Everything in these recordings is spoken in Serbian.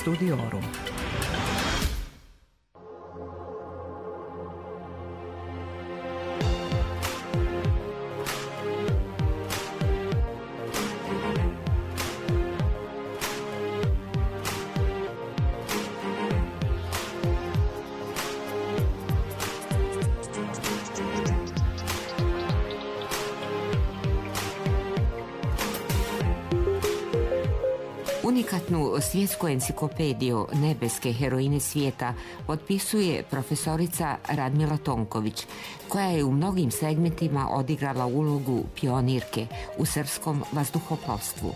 Studiorum. Unikatnu svjetsku enciklopediju nebeske heroine svijeta potpisuje profesorica Radmila Tonković, koja je u mnogim segmentima odigrala ulogu pionirke u srpskom vazduhoplovstvu.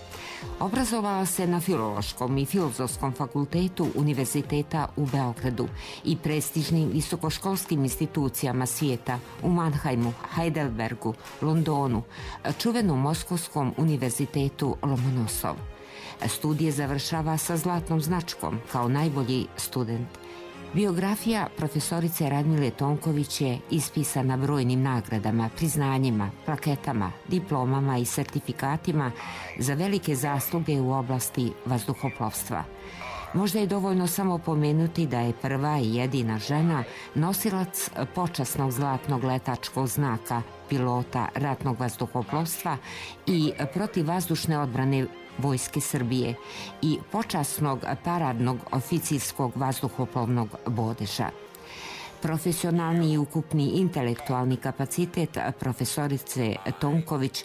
Obrazovala se na Filološkom i Filozofskom fakultetu Univerziteta u Beogradu i prestižnim visokoškolskim institucijama svijeta u Mannheimu, Heidelbergu, Londonu, čuvenom Moskovskom univerzitetu Lomonosov. Studije završava sa zlatnom značkom kao najbolji student. Biografija profesorice Radmile Tonković je ispisana brojnim nagradama, priznanjima, plaketama, diplomama i sertifikatima za velike zasluge u oblasti vazduhoplovstva. Možda je dovoljno samo pomenuti da je prva i jedina žena nosilac počasnog zlatnog letačkog znaka pilota ratnog vazduhoplovstva i protivvazdušne odbrane Vojske Srbije i počasnog paradnog oficirskog vazduhoplovnog bodeža. Profesionalni i ukupni intelektualni kapacitet profesorice Tonković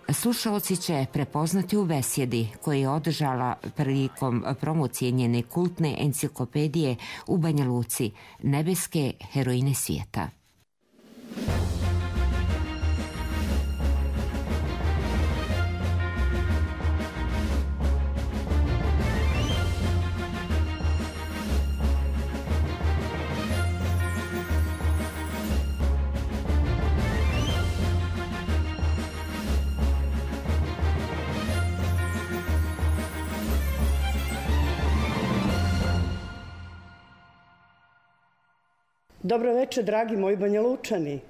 slušaoci će prepoznati u besjedi koje je održala prilikom promocije njene kultne enciklopedije u Banja Luci, nebeske heroine svijeta. Dobro večer, dragi moji Banjalučani.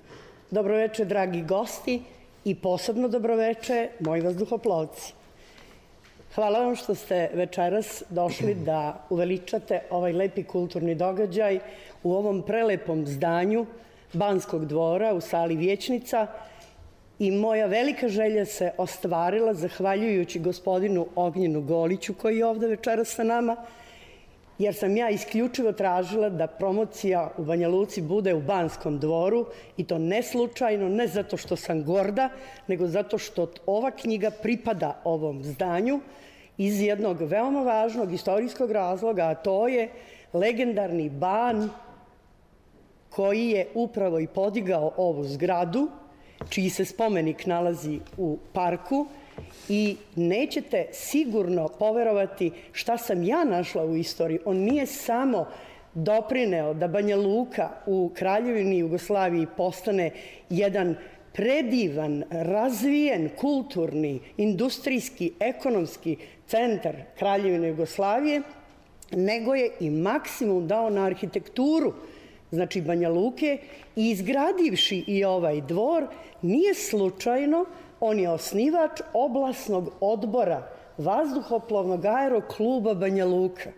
Dobro večer, dragi gosti i posebno dobro večer, moji vazduhoplovci. Hvala vam što ste večeras došli da uveličate ovaj lepi kulturni događaj u ovom prelepom zdanju Banskog dvora u sali Vijećnica i moja velika želja se ostvarila zahvaljujući gospodinu Ognjenu Goliću koji je ovde večeras sa nama, jer sam ja isključivo tražila da promocija u Banja Luci bude u Banskom dvoru i to ne slučajno, ne zato što sam gorda, nego zato što ova knjiga pripada ovom zdanju iz jednog veoma važnog istorijskog razloga, a to je legendarni ban koji je upravo i podigao ovu zgradu, čiji se spomenik nalazi u parku. I nećete sigurno poverovati šta sam ja našla u istoriji. On nije samo doprineo da Banja Luka u Kraljevini Jugoslaviji postane jedan predivan, razvijen, kulturni, industrijski, ekonomski centar Kraljevine Jugoslavije, nego je i maksimum dao na arhitekturu, znači Banja Luke, i izgradivši i ovaj dvor, nije slučajno. On je osnivač oblasnog odbora vazduhoplovnog aerokluba Banja Luka.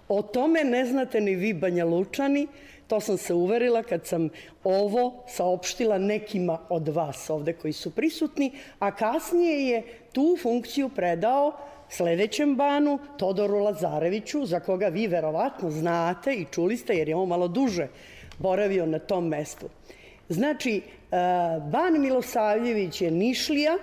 O tome ne znate ni vi Banjalučani, to sam se uverila kad sam ovo saopštila nekima od vas ovde koji su prisutni, a kasnije je tu funkciju predao sledećem banu, Todoru Lazareviću, za koga vi verovatno znate i čuli ste jer je on malo duže boravio na tom mestu. Znači, ban Milosavljević je Nišlija,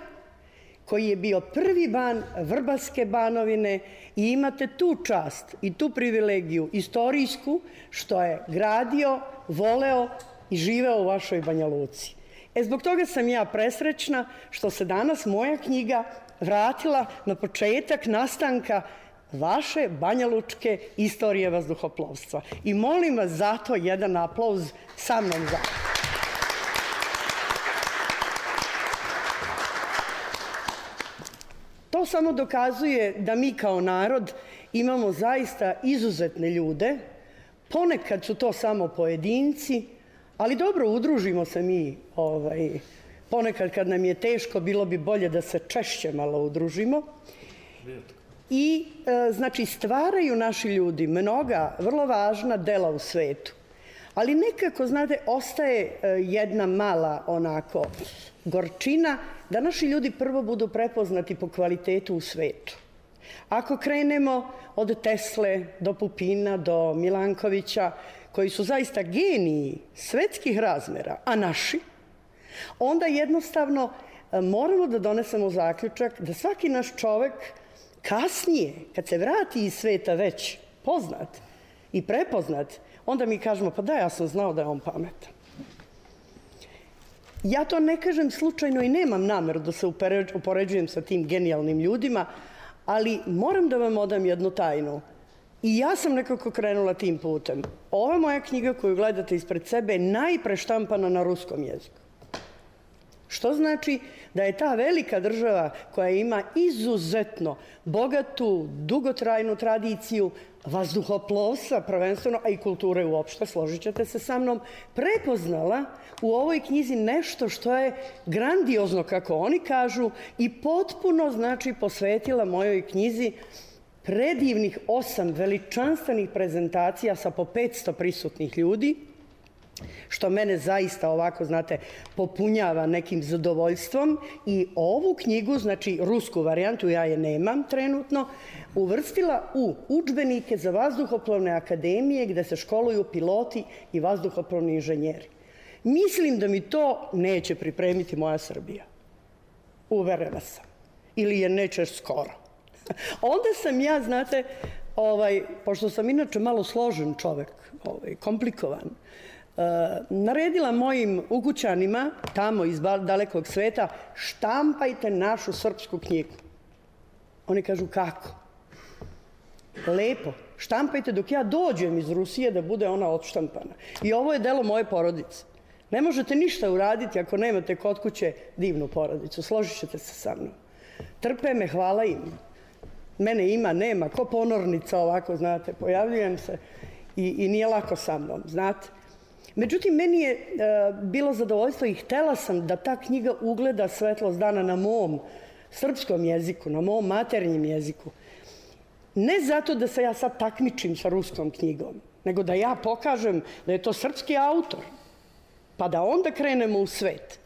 koji je bio prvi ban Vrbaske banovine i imate tu čast i tu privilegiju istorijsku što je gradio, voleo i živeo u vašoj Banja Luci. Zbog toga sam ja presrećna što se danas moja knjiga vratila na početak nastanka vaše banjalučke istorije vazduhoplovstva. I molim vas zato jedan aplauz sa mnom za. To samo dokazuje da mi kao narod imamo zaista izuzetne ljude. Ponekad su to samo pojedinci, ali dobro, udružimo se mi. Ponekad kad nam je teško, bilo bi bolje da se češće malo udružimo. i znači stvaraju naši ljudi mnoga vrlo važna dela u svetu. Ali nekako, znate, ostaje jedna mala onako gorčina da naši ljudi prvo budu prepoznati po kvalitetu u svetu. Ako krenemo od Tesle do Pupina, do Milankovića, koji su zaista geniji svetskih razmera, a naši, onda jednostavno moramo da donesemo zaključak da svaki naš čovek kasnije, kad se vrati iz sveta već poznat i prepoznat, onda mi kažemo, pa da, ja sam znao da je on pametan. Ja to ne kažem slučajno i nemam nameru da se upoređujem sa tim genijalnim ljudima, ali moram da vam odam jednu tajnu. I ja sam nekako krenula tim putem. Ova moja knjiga koju gledate ispred sebe je najpreštampana na ruskom jeziku. Što znači da je ta velika država koja ima izuzetno bogatu, dugotrajnu tradiciju vazduhoplovstva prvenstveno, a i kulture uopšte, složit ćete se sa mnom, prepoznala u ovoj knjizi nešto što je grandiozno, kako oni kažu, i potpuno, znači, posvetila mojoj knjizi predivnih 8 veličanstvenih prezentacija sa po 500 prisutnih ljudi, što mene zaista ovako, znate, popunjava nekim zadovoljstvom. I ovu knjigu, znači rusku varijantu, ja je nemam trenutno, uvrstila u udžbenike za vazduhoplovne akademije gde se školuju piloti i vazduhoplovni inženjeri. Mislim da mi to neće pripremiti moja Srbija. Uverena sam. Ili je neće skoro. Onda sam ja, znate, pošto sam inače malo složen čovek, komplikovan, naredila mojim ukućanima tamo iz dalekog sveta, štampajte našu srpsku knjigu. Oni kažu, kako? Lepo, štampajte dok ja dođem iz Rusije da bude ona odštampana. I ovo je delo moje porodice. Ne možete ništa uraditi ako nemate kod kuće divnu porodicu, složit ćete se sa mnom. Trpe me, hvala im. Mene ima, nema, ko ponornica ovako, znate, pojavljujem se i nije lako sa mnom, znate. Međutim, meni je bilo zadovoljstvo i htela sam da ta knjiga ugleda svetlost dana na mom srpskom jeziku, na mom maternjem jeziku. Ne zato da se ja sad takmičim sa ruskom knjigom, nego da ja pokažem da je to srpski autor, pa da onda krenemo u svet.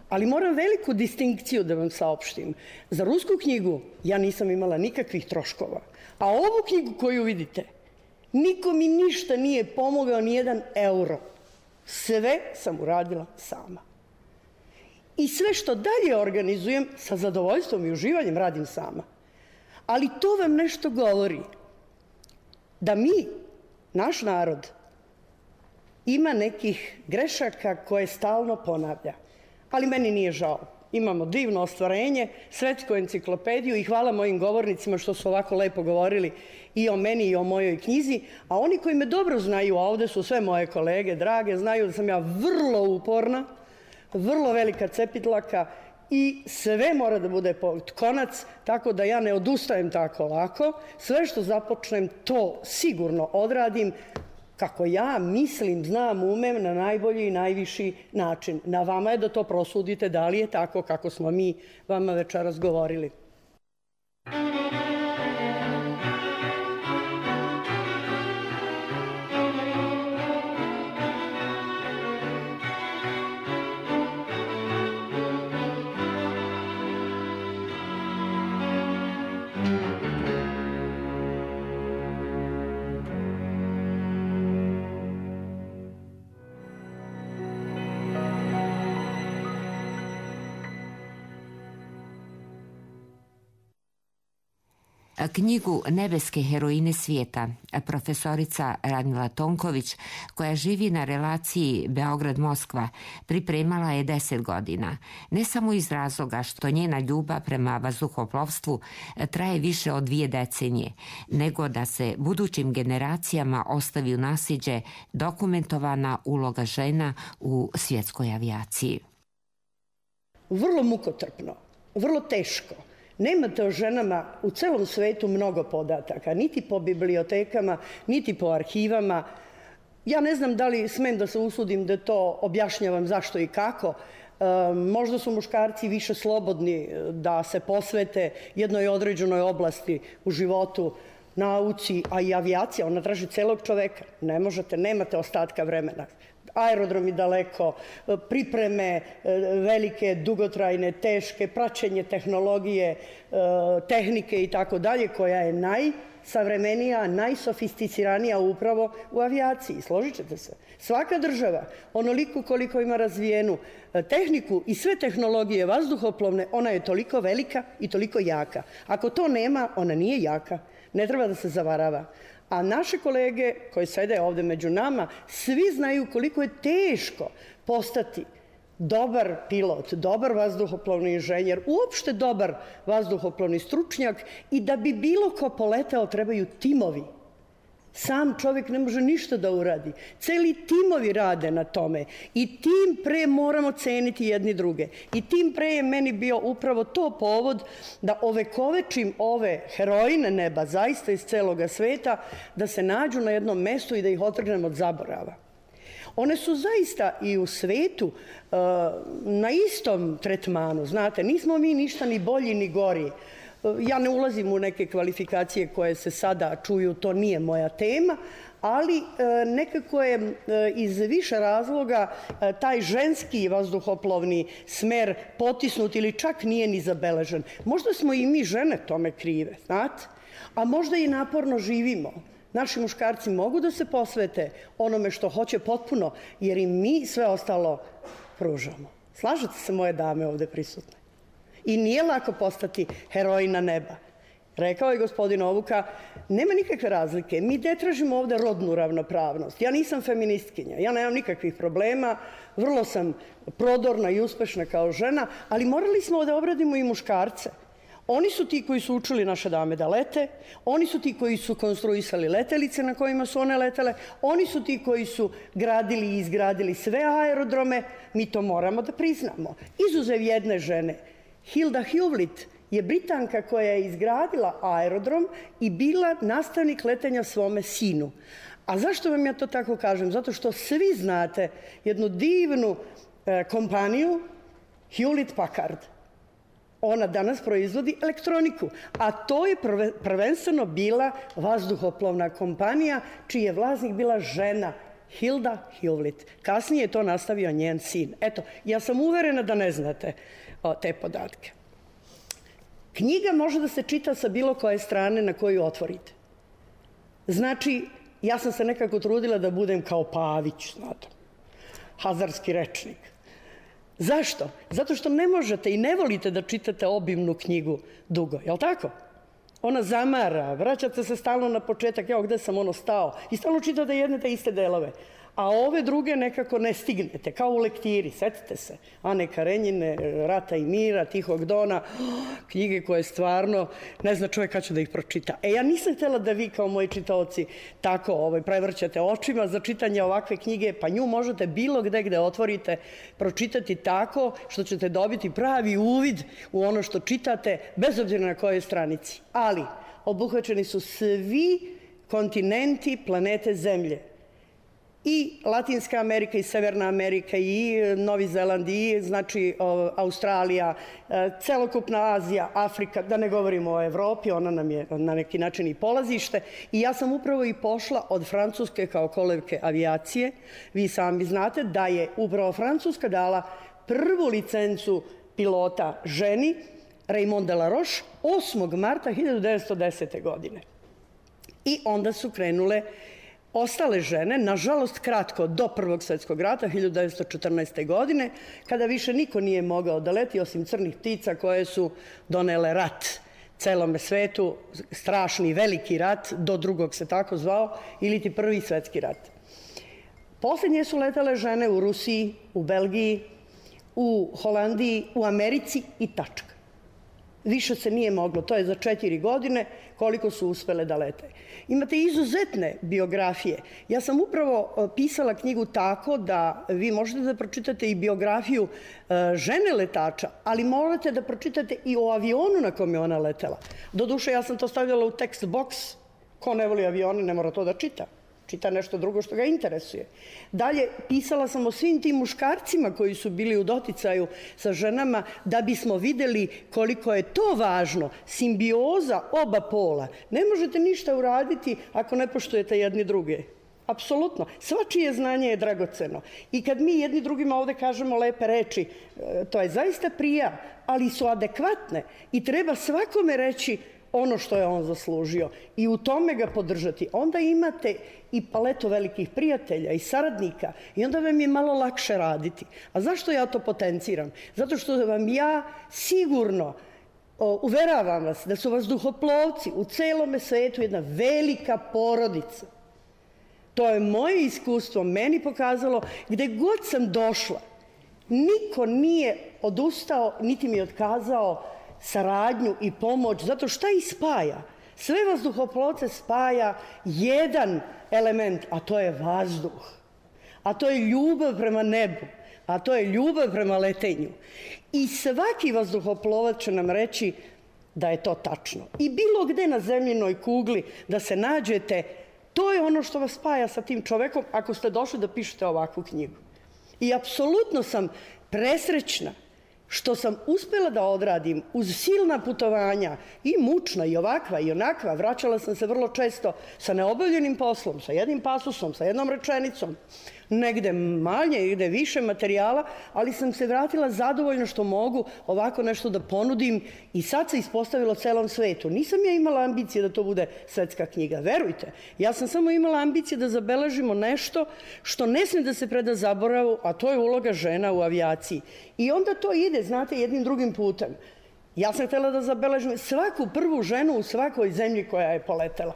Ali moram veliku distinkciju da vam saopštim. Za rusku knjigu ja nisam imala nikakvih troškova, a ovu knjigu koju vidite, niko mi ništa nije pomogao, ni jedan euro. Sve sam uradila sama. I sve što dalje organizujem, sa zadovoljstvom i uživanjem radim sama. Ali to vam nešto govori. Da mi, naš narod, ima nekih grešaka koje stalno ponavlja. Ali meni nije žao. Imamo divno ostvarenje, svetsku enciklopediju i hvala mojim govornicima što su ovako lepo govorili i o meni i o mojoj knjizi. A oni koji me dobro znaju, a ovde su sve moje kolege drage, znaju da sam ja vrlo uporna, vrlo velika cepitlaka i sve mora da bude pod konac, tako da ja ne odustajem tako lako. Sve što započnem, to sigurno odradim kako ja mislim, znam, umem na najbolji i najviši način. Na vama je da to prosudite da li je tako kako smo mi vama večeras govorili. Knjigu Nebeske heroine svijeta profesorica Radmila Tonković, koja živi na relaciji Beograd-Moskva, pripremala je 10 godina. Ne samo iz razloga što njena ljubav prema vazduhoplovstvu traje više od 2 decenije, nego da se budućim generacijama ostavi u naslijeđe dokumentovana uloga žena u svjetskoj avijaciji. Vrlo mukotrpno, vrlo teško. Nemate o ženama u celom svetu mnogo podataka, niti po bibliotekama, niti po arhivama. Ja ne znam da li smem da se usudim da to objašnjavam zašto i kako, Možda su muškarci više slobodni da se posvete jednoj određenoj oblasti u životu, nauci, a i avijacija, ona traži celog čoveka. Ne možete, nemate ostatka vremena. Aerodromi daleko, pripreme velike, dugotrajne, teške, praćenje tehnologije, tehnike i tako dalje, koja je najsavremenija, najsofisticiranija upravo u avijaciji. Složit ćete se. Svaka država, onoliko koliko ima razvijenu tehniku i sve tehnologije vazduhoplovne, ona je toliko velika i toliko jaka. Ako to nema, ona nije jaka. Ne treba da se zavarava. A naše kolege koji sede ovde među nama, svi znaju koliko je teško postati dobar pilot, dobar vazduhoplovni inženjer, uopšte dobar vazduhoplovni stručnjak i da bi bilo ko poleteo trebaju timovi. Sam čovjek ne može ništa da uradi. Celi timovi rade na tome i tim pre moramo ceniti jedni druge. I tim pre je meni bio upravo to povod da ovekovečim ove heroine neba, zaista iz celoga sveta, da se nađu na jednom mestu i da ih otrgnem od zaborava. One su zaista i u svetu na istom tretmanu, znate, nismo mi ništa ni bolji ni gori. Ja ne ulazim u neke kvalifikacije koje se sada čuju, to nije moja tema, ali nekako je iz više razloga taj ženski vazduhoplovni smer potisnut ili čak nije ni zabeležen. Možda smo i mi žene tome krive, znate, a možda i naporno živimo. Naši muškarci mogu da se posvete onome što hoće potpuno, jer i mi sve ostalo pružamo. Slažete se, moje dame ovde prisutne? I nije lako postati herojina neba. Rekao je gospodin Ovuka, nema nikakve razlike. Mi ne tražimo ovde rodnu ravnopravnost. Ja nisam feministkinja, ja nemam nikakvih problema, vrlo sam prodorna i uspešna kao žena, ali morali smo da obradimo i muškarce. Oni su ti koji su učili naše dame da lete, oni su ti koji su konstruisali letelice na kojima su one letele, oni su ti koji su gradili i izgradili sve aerodrome, mi to moramo da priznamo. Izuzev jedne žene, Hilda Hewlett je Britanka koja je izgradila aerodrom i bila nastavnik letenja svome sinu. A zašto vam ja to tako kažem? Zato što svi znate jednu divnu kompaniju Hewlett Packard. Ona danas proizvodi elektroniku, a to je prvenstveno bila vazduhoplovna kompanija čiji je vlasnik bila žena Hilda Hewlett. Kasnije je to nastavio njen sin. Eto, ja sam uverena da ne znate te podatke. Knjiga može da se čita sa bilo koje strane na koju otvorite. Znači, ja sam se nekako trudila da budem kao Pavić, znate, hazarski rečnik. Zašto? Zato što ne možete i ne volite da čitate obimnu knjigu dugo, je li tako? Ona zamara, vraćate se stalno na početak, evo gde sam stao, i stalno čitate jedne te iste delove. A ove druge nekako ne stignete, kao u lektiri, setite se. Ane Karenjine, Rata i mira, Tihog dona, knjige koje stvarno ne zna čovjek kad će da ih pročita. Ja nisam htjela da vi kao moji čitaoci tako prevrćate očima za čitanje ovakve knjige, pa nju možete bilo gde otvorite pročitati tako što ćete dobiti pravi uvid u ono što čitate, bez obzira na kojoj stranici. Ali obuhvaćeni su svi kontinenti planete Zemlje. I Latinska Amerika i Severna Amerika i Novi Zeland i znači Australija, celokupna Azija, Afrika, da ne govorimo o Evropi, ona nam je na neki način i polazište. I ja sam upravo i pošla od Francuske kao kolevke avijacije. Vi sami znate da je upravo Francuska dala prvu licencu pilota ženi, Raymond Delaroche, 8. marta 1910. godine. I onda su krenule ostale žene, nažalost kratko, do Prvog svjetskog rata, 1914. godine, kada više niko nije mogao da leti, osim crnih ptica koje su donele rat celome svetu, strašni veliki rat, do drugog se tako zvao, ili ti Prvi svjetski rat. Posljednje su letale žene u Rusiji, u Belgiji, u Holandiji, u Americi i tačka. Više se nije moglo, to je za 4 godine koliko su uspele da lete. Imate izuzetne biografije. Ja sam upravo pisala knjigu tako da vi možete da pročitate i biografiju žene letača, ali morate da pročitate i o avionu na kom je ona letela. Doduše, ja sam to stavljala u tekst boks. Ko ne voli avione, ne mora to da čita. čita nešto drugo što ga interesuje. Dalje, pisala sam o svim tim muškarcima koji su bili u doticaju sa ženama da bismo videli koliko je to važno, simbioza oba pola. Ne možete ništa uraditi ako ne poštujete jedni druge. Apsolutno. Svačije znanje je dragoceno. I kad mi jedni drugima ovde kažemo lepe reči, to je zaista prija, ali su adekvatne i treba svakome reći ono što je on zaslužio i u tome ga podržati. Onda imate i paletu velikih prijatelja i saradnika i onda vam je malo lakše raditi. A zašto ja to potenciram? Zato što vam ja sigurno uveravam vas da su vazduhoplovci u celome svetu jedna velika porodica. To je moje iskustvo meni pokazalo gde god sam došla. Niko nije odustao, niti mi je otkazao saradnju i pomoć, zato šta ih spaja? Sve vazduhoplovce spaja jedan element, a to je vazduh. A to je ljubav prema nebu, a to je ljubav prema letenju. I svaki vazduhoplovac će nam reći da je to tačno. I bilo gde na zemljinoj kugli da se nađete, to je ono što vas spaja sa tim čovekom ako ste došli da pišete ovakvu knjigu. I apsolutno sam presrećna što sam uspela da odradim uz silna putovanja i mučna i ovakva i onakva. Vraćala sam se vrlo često sa neobavljenim poslom, sa jednim pasusom, sa jednom rečenicom. Negde manje, negde više materijala, ali sam se vratila zadovoljno što mogu ovako nešto da ponudim i sad se ispostavilo celom svetu. Nisam ja imala ambicije da to bude svetska knjiga, verujte. Ja sam samo imala ambicije da zabeležimo nešto što ne sme da se preda zaboravu, a to je uloga žena u avijaciji. I onda to ide, znate, jednim drugim putem. Ja sam htela da zabeležim svaku prvu ženu u svakoj zemlji koja je poletela.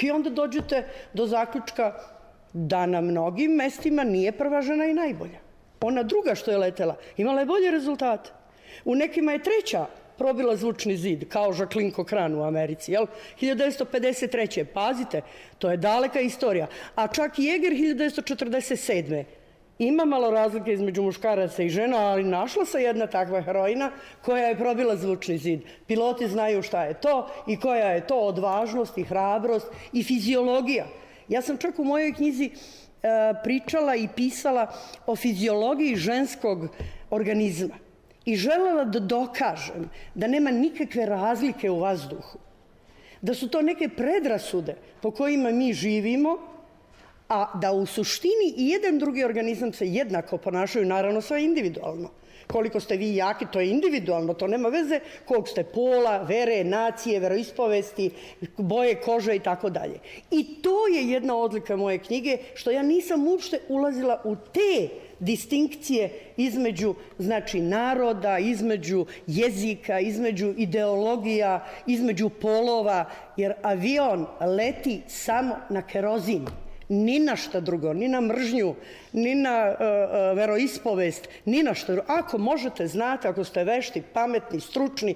I onda dođete do zaključka da na mnogim mestima nije prva žena i najbolja. Ona druga što je letela imala je bolje rezultate. U nekima je treća probila zvučni zid, kao Jacqueline Cochran u Americi, jel? 1953. Pazite, to je daleka istorija. A čak i Jäger 1947. Ima malo razlike između muškaraca i žena, ali našla se jedna takva heroina koja je probila zvučni zid. Piloti znaju šta je to i koja je to odvažnost i hrabrost i fiziologija. Ja sam čak u mojoj knjizi pričala i pisala o fiziologiji ženskog organizma i želela da dokažem da nema nikakve razlike u vazduhu, da su to neke predrasude po kojima mi živimo, a da u suštini i jedan drugi organizam se jednako ponašaju, naravno sve individualno. Koliko ste vi jaki, to je individualno, to nema veze kog ste pola, vere, nacije, veroispovesti, boje kože i tako dalje. I to je jedna odlika moje knjige, što ja nisam uopšte ulazila u te distinkcije između, znači, naroda, između jezika, između ideologija, između polova, jer avion leti samo na kerozin. Ni na šta drugo, ni na mržnju, ni na veroispovest, ni na šta drugo. Ako možete, znate, ako ste vešti, pametni, stručni,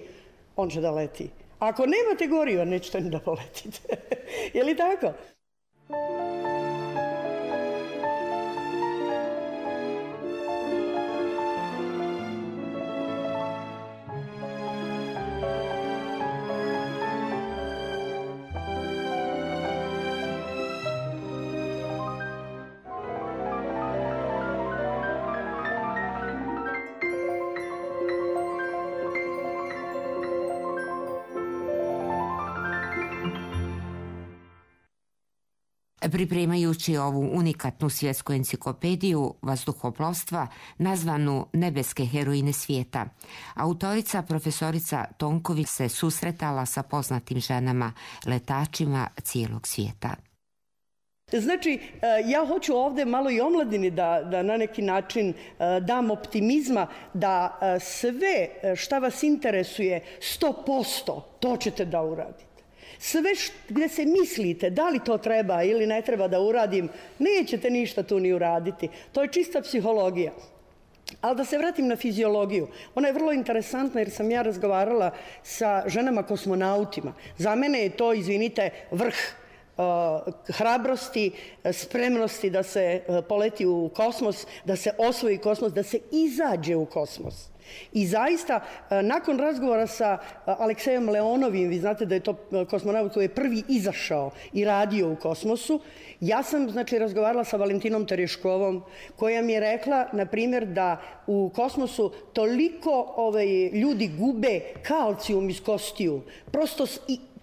on će da leti. Ako nemate goriva, nećete ni da poletite. Je li tako? Pripremajući ovu unikatnu svjetsku enciklopediju vazduhoplovstva nazvanu Nebeske heroine svijeta, autorica profesorica Tonković se susretala sa poznatim ženama, letačima cijelog svijeta. Znači, ja hoću ovde malo i omladini da na neki način dam optimizma da sve šta vas interesuje 100%, to ćete da uradite. Sve gde se mislite da li to treba ili ne treba da uradim, nećete ništa tu ni uraditi. To je čista psihologija. Ali da se vratim na fiziologiju. Ona je vrlo interesantna jer sam ja razgovarala sa ženama kosmonautima. Za mene je to, izvinite, vrh hrabrosti, spremnosti da se poleti u kosmos, da se osvoji kosmos, da se izađe u kosmos. I zaista, nakon razgovora sa Aleksejom Leonovim, vi znate da je to kosmonaut koji je prvi izašao i radio u kosmosu, ja sam, znači, razgovarala sa Valentinom Tereškovom, koja mi je rekla, na primjer, da u kosmosu toliko ljudi gube kalcijum iz kostiju, prosto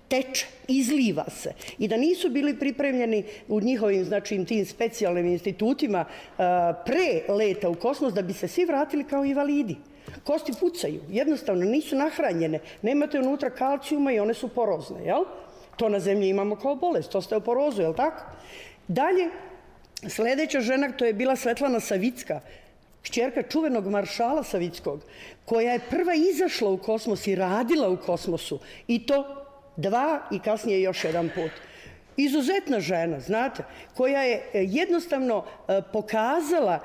teče, izliva se, i da nisu bili pripremljeni u njihovim, znači, tim specijalnim institutima pre leta u kosmos, da bi se svi vratili kao invalidi. Kosti pucaju, jednostavno nisu nahranjene, nemate unutra kalcijuma i one su porozne, jel? To na zemlji imamo kao bolest, osteoporozu, jel tako? Dalje, sledeća žena, to je bila Svetlana Savicka, kćerka čuvenog maršala Savickog, koja je prva izašla u kosmos i radila u kosmosu, i to 2 i kasnije još 1 put. Izuzetna žena, znate, koja je jednostavno pokazala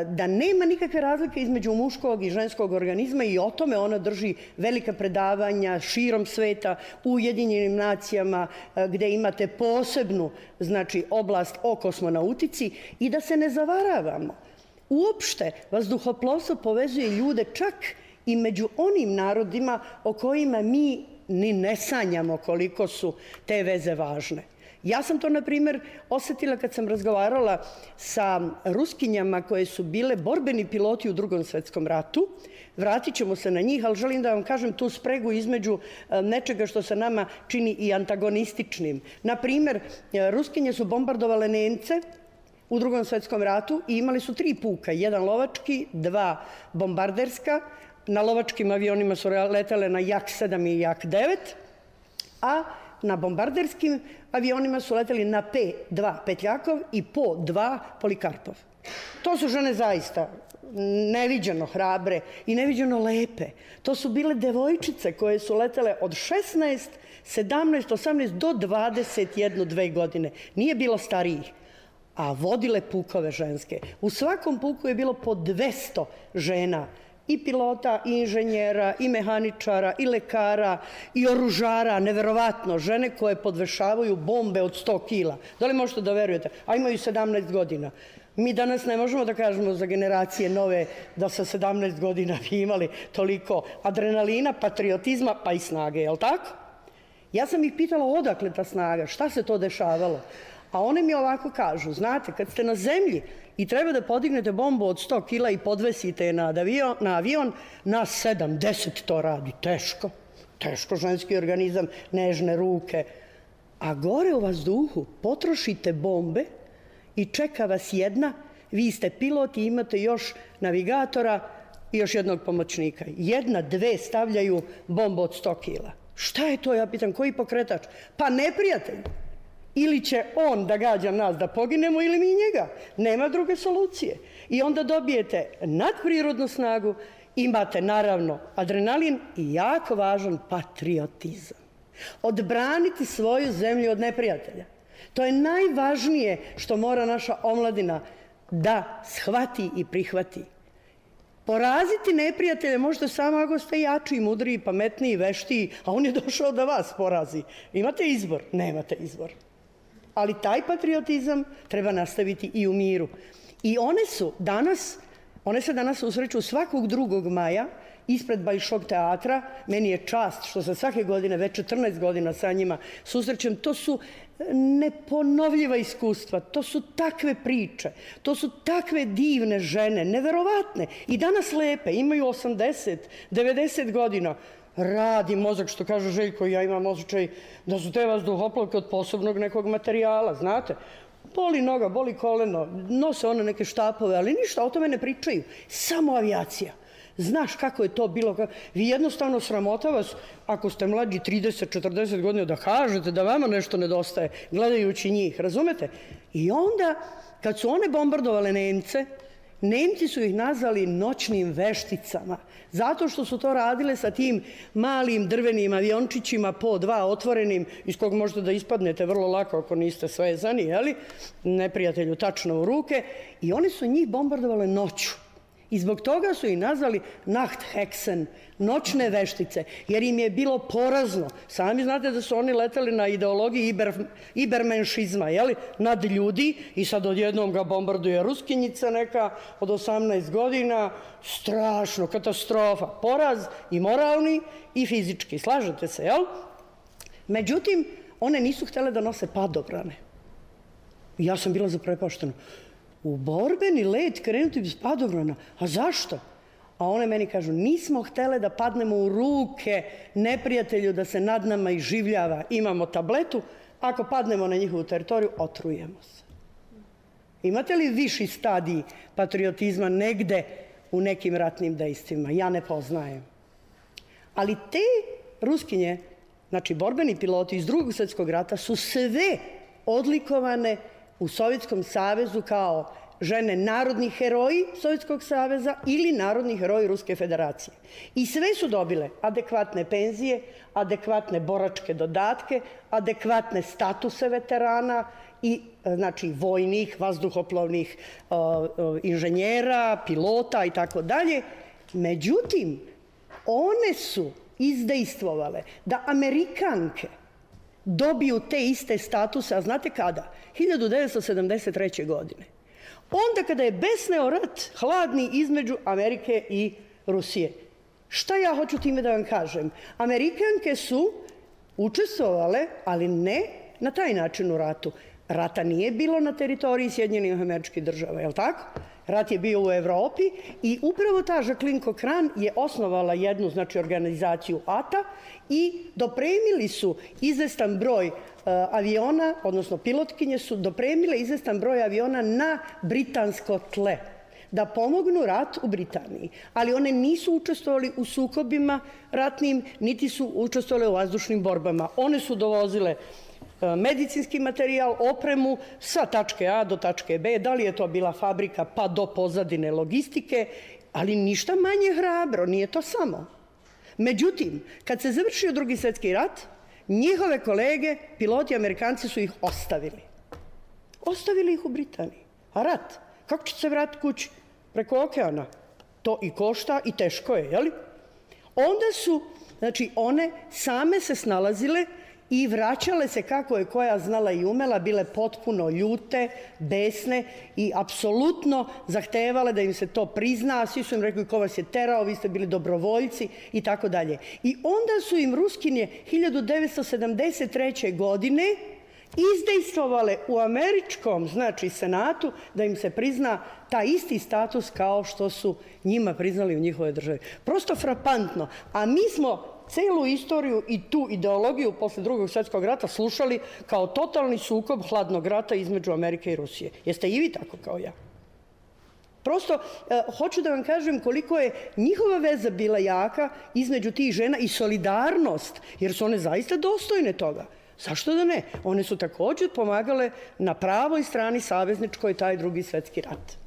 da nema nikakve razlike između muškog i ženskog organizma, i o tome ona drži velika predavanja širom sveta, u Ujedinjenim nacijama, gde imate posebnu, znači, oblast o kosmonautici. I da se ne zavaravamo, uopšte vazduhoplovstvo povezuje ljude čak i među onim narodima o kojima mi ni ne sanjamo koliko su te veze važne. Ja sam to, na primjer, osetila kad sam razgovarala sa Ruskinjama koje su bile borbeni piloti u Drugom svetskom ratu. Vratit ćemo se na njih, ali želim da vam kažem tu spregu između nečega što se nama čini i antagonističnim. Na primjer, Ruskinje su bombardovale Nemce u Drugom svetskom ratu i imali su 3 puka, 1 lovački, 2 bombarderska. Na lovačkim avionima su letele na Jak-7 i Jak-9, a na bombarderskim avionima su leteli na P-2 Petljakov i Po-2 Polikarpov. To su žene zaista neviđeno hrabre i neviđeno lepe. To su bile devojčice koje su letele od 16, 17, 18 do 21-2 godine. Nije bilo starijih, a vodile pukove ženske. U svakom puku je bilo po 200 žena, i pilota, i inženjera, i mehaničara, i lekara, i oružara, neverovatno, žene koje podvešavaju bombe od 100 kila. Da li možete da verujete? A imaju 17 godina. Mi danas ne možemo da kažemo za generacije nove da sa 17 godina bi imali toliko adrenalina, patriotizma, pa i snage, je li tako? Ja sam ih pitala odakle ta snaga, šta se to dešavalo? A one mi ovako kažu, znate, kad ste na zemlji i treba da podignete bombu od 100 kila i podvesite je na avion, nas 7-10 to radi. Teško. Teško, ženski organizam, nežne ruke. A gore u vazduhu potrošite bombe i čeka vas jedna, vi ste pilot i imate još navigatora i još jednog pomoćnika. 1, 2 stavljaju bombu od 100 kila. Šta je to, ja pitam, koji pokretač? Pa neprijatelj. Ili će on da gađa nas da poginemo, ili mi njega. Nema druge solucije. I onda dobijete nadprirodnu snagu, imate naravno adrenalin i jako važan patriotizam. Odbraniti svoju zemlju od neprijatelja. To je najvažnije što mora naša omladina da shvati i prihvati. Poraziti neprijatelje možete samo ako ste jači, mudriji, pametniji, veštiji, a on je došao da vas porazi. Imate izbor? Nemate izbor. Ali taj patriotizam treba nastaviti i u miru. I one se danas susreću svakog 2. maja ispred Bajšog teatra. Meni je čast što se svake godine, već 14 godina sa njima susrećem. To su neponovljiva iskustva, to su takve priče, to su takve divne žene, neverovatne. I danas lepe, imaju 80, 90 godina. Radi mozak, što kaže Željko, ja imam osjećaj da su te vazduhoplovke od posebnog nekog materijala, znate. Boli noga, boli koleno, nose one neke štapove, ali ništa, o tome ne pričaju. Samo avijacija. Znaš kako je to bilo? Vi jednostavno sramota vas, ako ste mlađi 30, 40 godina, da kažete da vama nešto nedostaje, gledajući njih, razumete? I onda, kad su one bombardovale Nemce, Nemci su ih nazvali noćnim vešticama, zato što su to radile sa tim malim drvenim aviončićima po 2 otvorenim, iz kog možete da ispadnete vrlo lako ako niste svezani, jeli? Neprijatelju tačno u ruke. I one su njih bombardovale noću. I zbog toga su i nazvali Nachthexen, noćne veštice, jer im je bilo porazno. Sami znate da su oni letali na ideologiji ibermenšizma, nad ljudi, i sad odjednom ga bombarduje Ruskinjica neka od 18 godina, strašno, katastrofa, poraz i moralni i fizički, slažete se, jel? Međutim, one nisu htjele da nose padobrane. Ja sam bila zaprepaštena. U borbeni let krenuti bez padobrana. A zašto? A one meni kažu, nismo htjele da padnemo u ruke neprijatelju da se nad nama iživljava. Imamo tabletu, ako padnemo na njihovu teritoriju, otrujemo se. Imate li viši stadij patriotizma negde u nekim ratnim dejstvima? Ja ne poznajem. Ali te Ruskinje, znači borbeni piloti iz Drugog svjetskog rata, su sve odlikovane u Sovjetskom savezu kao žene narodni heroji Sovjetskog saveza ili narodni heroji Ruske federacije. I sve su dobile adekvatne penzije, adekvatne boračke dodatke, adekvatne statuse veterana i znači vojnih, vazduhoplovnih inženjera, pilota i tako dalje. Međutim, one su izdejstvovale da Amerikanke dobiju te iste statuse, a znate kada? 1973. godine. Onda kada je besneo rat hladni između Amerike i Rusije. Šta ja hoću time da vam kažem? Amerikanke su učestvovale, ali ne na taj način u ratu. Rata nije bilo na teritoriji Sjedinjenih Američkih Država, je li tako? Rat je bio u Evropi i upravo ta Jacqueline Cochran je osnovala jednu, znači, organizaciju ATA i dopremili su izvestan broj aviona, odnosno pilotkinje su dopremile izvestan broj aviona na britansko tle da pomognu rat u Britaniji. Ali one nisu učestvovali u sukobima ratnim, niti su učestvovali u vazdušnim borbama. One su dovozile medicinski materijal, opremu sa tačke A do tačke B, da li je to bila fabrika pa do pozadine logistike, ali ništa manje hrabro, nije to samo. Međutim, kad se završio Drugi svjetski rat, njihove kolege, piloti Amerikanci, su ih ostavili. Ostavili ih u Britaniji. A rat? Kako će se vratiti kući? Preko okeana. To i košta i teško je, jeli? Onda su, znači, one same se snalazile i vraćale se kako je koja znala i umela, bile potpuno ljute, besne i apsolutno zahtevale da im se to prizna, a svi su im rekli ko vas je terao, vi ste bili dobrovoljci i tako dalje. I onda su im Ruskinje 1973. godine izdejstvovale u američkom, znači, senatu, da im se prizna taj isti status kao što su njima priznali u njihovoj državi. Prosto frapantno. A mi smo celu istoriju i tu ideologiju posle Drugog svjetskog rata slušali kao totalni sukob hladnog rata između Amerike i Rusije. Jeste i vi tako kao ja? Prosto, hoću da vam kažem koliko je njihova veza bila jaka između tih žena i solidarnost, jer su one zaista dostojne toga. Zašto da ne? One su također pomagale na pravoj strani savezničkoj taj Drugi svjetski rat.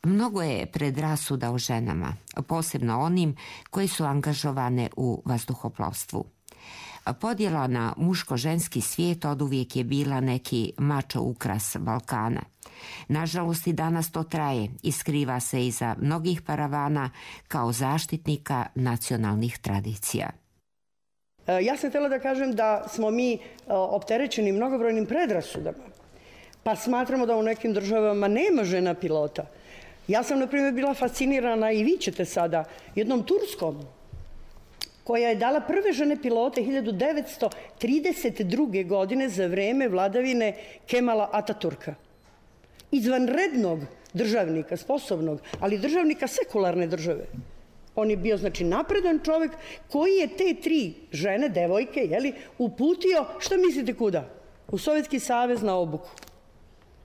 Mnogo je predrasuda o ženama, posebno onim koji su angažovane u vazduhoplovstvu. Podjela na muško-ženski svijet oduvijek je bila neki mačo ukras Balkana. Nažalost, i danas to traje i skriva se iza mnogih paravana kao zaštitnika nacionalnih tradicija. Ja sam htjela da kažem da smo mi opterećeni mnogobrojnim predrasudama, pa smatramo da u nekim državama nema žena pilota. Ja sam, na primjer, bila fascinirana, i vi ćete sada, jednom Turskom, koja je dala prve žene pilote 1932. godine za vreme vladavine Kemala Ataturka. Izvanrednog državnika, sposobnog, ali državnika sekularne države. On je bio, znači, napredan čovjek koji je te tri žene, devojke, uputio, šta mislite kuda? U Sovjetski savez na obuku.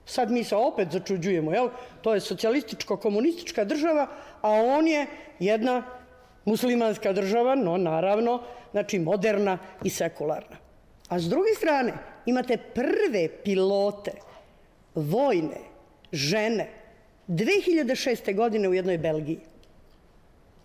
Sad mi se opet začuđujemo, jel? To je socijalističko-komunistička država, a on je jedna muslimanska država, no naravno, znači moderna i sekularna. A s druge strane imate prve pilote vojne žene 2006. godine u jednoj Belgiji.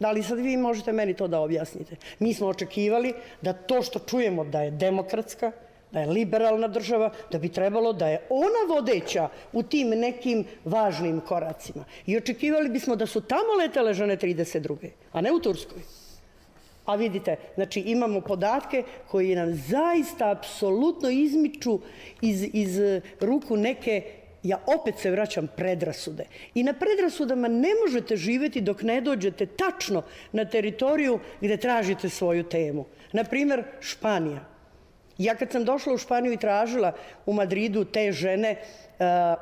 Da li sad vi možete meni to da objasnite? Mi smo očekivali da to što čujemo da je demokratska, da je liberalna država, da bi trebalo da je ona vodeća u tim nekim važnim koracima. I očekivali bismo da su tamo letele žene 32. a ne u Turskoj. A vidite, znači imamo podatke koji nam zaista apsolutno izmiču iz ruku neke, ja opet se vraćam, predrasude. I na predrasudama ne možete živjeti dok ne dođete tačno na teritoriju gde tražite svoju temu. Naprimer, Španija. Ja kad sam došla u Španiju i tražila u Madridu te žene,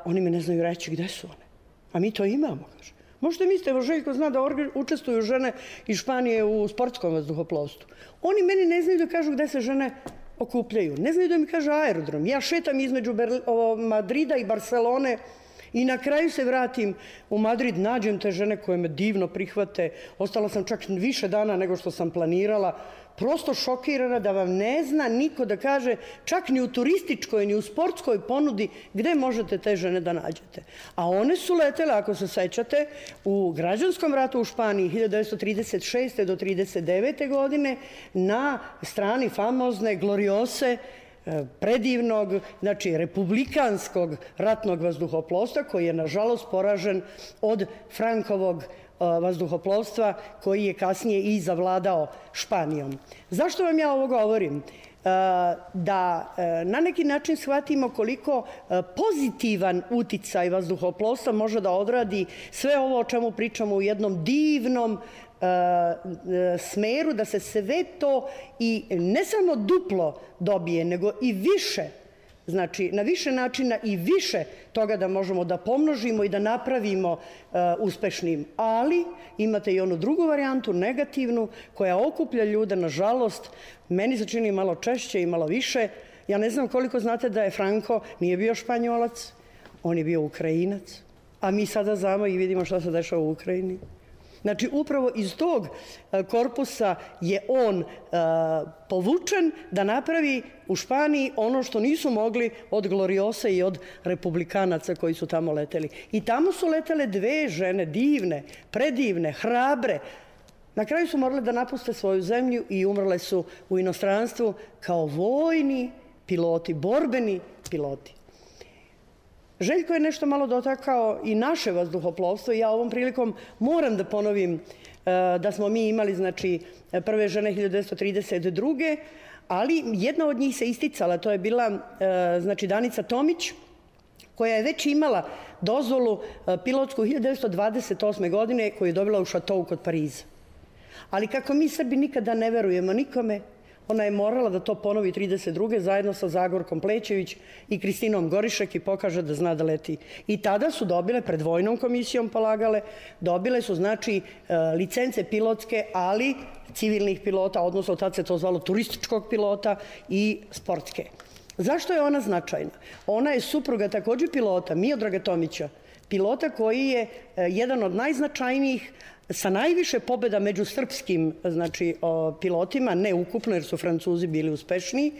oni mi ne znaju reći gde su one. A mi to imamo, kaže. Možete mislite, evo Željko zna da učestvuju žene iz Španije u sportskom vazduhoplovstvu. Oni meni ne znaju da kažu gde se žene okupljaju. Ne znaju da mi kaže aerodrom. Ja šetam između Madrida i Barcelone i na kraju se vratim u Madrid, nađem te žene koje me divno prihvate. Ostala sam čak više dana nego što sam planirala. Prosto šokirana da vam ne zna niko da kaže, čak ni u turističkoj, ni u sportskoj ponudi, gde možete te žene da nađete. A one su letele, ako se sećate, u građanskom ratu u Španiji 1936. do 1939. godine na strani famozne Gloriose, predivnog, znači republikanskog ratnog vazduhoplovstva koji je nažalost poražen od Frankovog vazduhoplovstva koji je kasnije i zavladao Španijom. Zašto vam ja ovo govorim? Da na neki način shvatimo koliko pozitivan uticaj vazduhoplovstva može da odradi sve ovo o čemu pričamo u jednom divnom smeru, da se sve to i ne samo duplo dobije, nego i više, znači na više načina i više toga da možemo da pomnožimo i da napravimo uspešnim. Ali imate i onu drugu varijantu, negativnu, koja okuplja ljude, nažalost, meni se čini malo češće i malo više. Ja ne znam koliko znate da je Franko nije bio Španjolac, on je bio Ukrajinac, a mi sada znamo i vidimo šta se dešava u Ukrajini. Znači, upravo iz tog korpusa je on povučen da napravi u Španiji ono što nisu mogli od Gloriosa i od republikanaca koji su tamo leteli. I tamo su letele dve žene, divne, predivne, hrabre. Na kraju su morale da napuste svoju zemlju i umrle su u inostranstvu kao vojni piloti, borbeni piloti. Željko je nešto malo dotakao i naše vazduhoplovstvo i ja ovom prilikom moram da ponovim da smo mi imali, znači, prve žene 1932. Ali jedna od njih se isticala, to je bila, znači, Danica Tomić, koja je već imala dozvolu pilotsku 1928. godine koju je dobila u Šatou kod Pariza. Ali kako mi Srbi nikada ne verujemo nikome, ona je morala da to ponovi 32. zajedno sa Zagorkom Plećević i Kristinom Gorišek i pokaže da zna da leti. I tada su dobile, pred vojnom komisijom polagale, dobile su, znači, licence pilotske, ali civilnih pilota, odnosno tad se to zvalo turističkog pilota i sportske. Zašto je ona značajna? Ona je supruga takođe pilota, Miodraga Tomića, pilota koji je jedan od najznačajnijih sa najviše pobjeda među srpskim, znači, pilotima, ne ukupno jer su Francuzi bili uspešniji,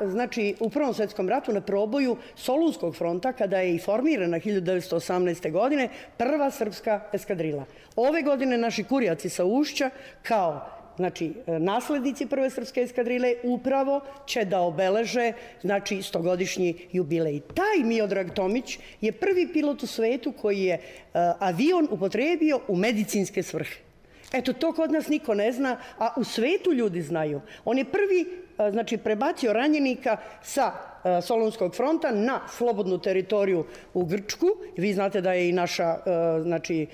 znači, u Prvom svetskom ratu na proboju Solunskog fronta, kada je i formirana 1918. godine prva srpska eskadrila. Ove godine naši kurjaci sa Ušća, kao, znači, naslednici prve srpske eskadrile, upravo će da obeleže, znači, 100-godišnji jubilej. Taj Miodrag Tomić je prvi pilot u svetu koji je avion upotrebio u medicinske svrhe. Eto, to kod nas niko ne zna, a u svetu ljudi znaju. On je prvi, znači, prebacio ranjenika sa Solunskog fronta na slobodnu teritoriju u Grčku. Vi znate da je i naša, znači,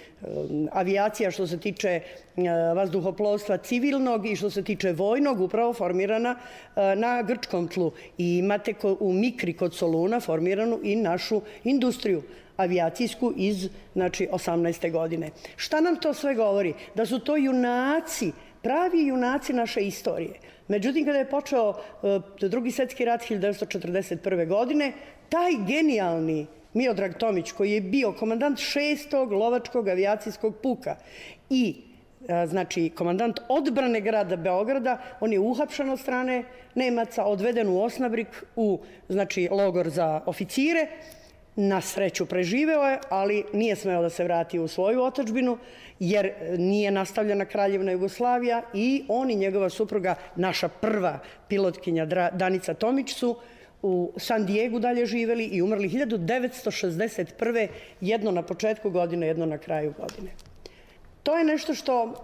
avijacija što se tiče vazduhoplovstva civilnog i što se tiče vojnog upravo formirana na grčkom tlu. I imate u Mikri kod Soluna formiranu i našu industriju avijacijsku iz, znači, 18. godine. Šta nam to sve govori? Da su to junaci, pravi junaci naše istorije. Međutim, kada je počeo Drugi svetski rat 1941. godine, taj genijalni Miodrag Tomić, koji je bio komandant 6. lovačkog avijacijskog puka i znači komandant odbrane grada Beograda, on je uhapšen od strane Nemaca, odveden u Osnabrik, u znači logor za oficire. Na sreću preživeo je, ali nije smeo da se vrati u svoju otadžbinu, jer nije nastavljena Kraljevna Jugoslavija i on i njegova supruga, naša prva pilotkinja Danica Tomić, su u San Diegu dalje živeli i umrli 1961. jedno na početku godine, jedno na kraju godine. To je nešto što